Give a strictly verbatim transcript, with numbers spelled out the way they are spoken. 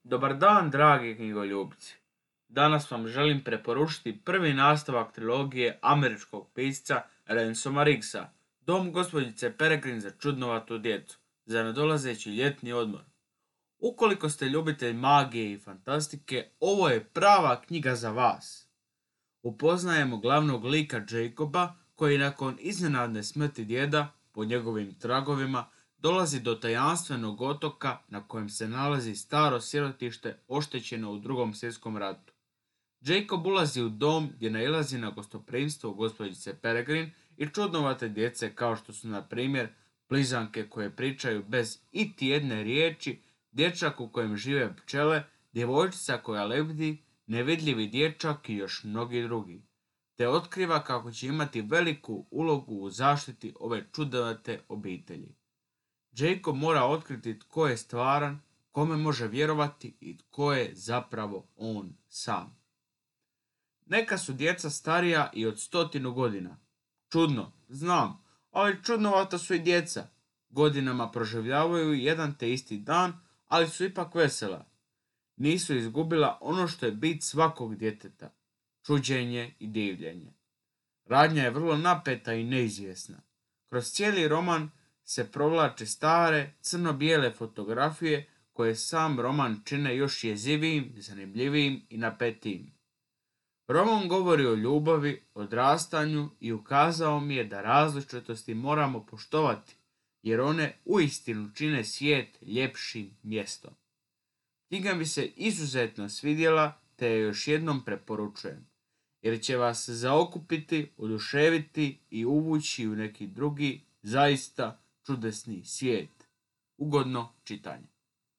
Dobar dan, dragi knjigoljubci. Danas vam želim preporučiti prvi nastavak trilogije američkog pisca Ransoma Riggsa, Dom gospođice Peregrine za čudnovatu djecu, za nadolazeći ljetni odmor. Ukoliko ste ljubitelj magije i fantastike, ovo je prava knjiga za vas. Upoznajemo glavnog lika Jacoba, koji nakon iznenadne smrti djeda, po njegovim tragovima, dolazi do tajanstvenog otoka na kojem se nalazi staro sirotište oštećeno u drugom svjetskom ratu. Jacob ulazi u dom gdje nailazi na gostoprimstvo gospođice Peregrine i čudnovate djece kao što su, na primjer, blizanke koje pričaju bez iti jedne riječi, dječak u kojem žive pčele, djevojčica koja lebdi, nevidljivi dječak i još mnogi drugi, te otkriva kako će imati veliku ulogu u zaštiti ove čudnovate obitelji. Jacob mora otkriti tko je stvaran, kome može vjerovati i tko je zapravo on sam. Neka su djeca starija i od stotinu godina. Čudno, znam, ali čudnovata su i djeca. Godinama proživljavaju jedan te isti dan, ali su ipak vesela. Nisu izgubila ono što je bit svakog djeteta, čuđenje i divljenje. Radnja je vrlo napeta i neizvjesna. Kroz cijeli roman se provlače stare, crno-bijele fotografije koje sam roman čine još jezivijim, zanimljivijim i napetijim. Roman govori o ljubavi, odrastanju i ukazao mi je da različitosti moramo poštovati, jer one uistinu čine svijet ljepšim mjestom. Knjiga mi se izuzetno svidjela, te je još jednom preporučujem, jer će vas zaokupiti, oduševiti i uvući u neki drugi, zaista čudesni svijet. Ugodno čitanje.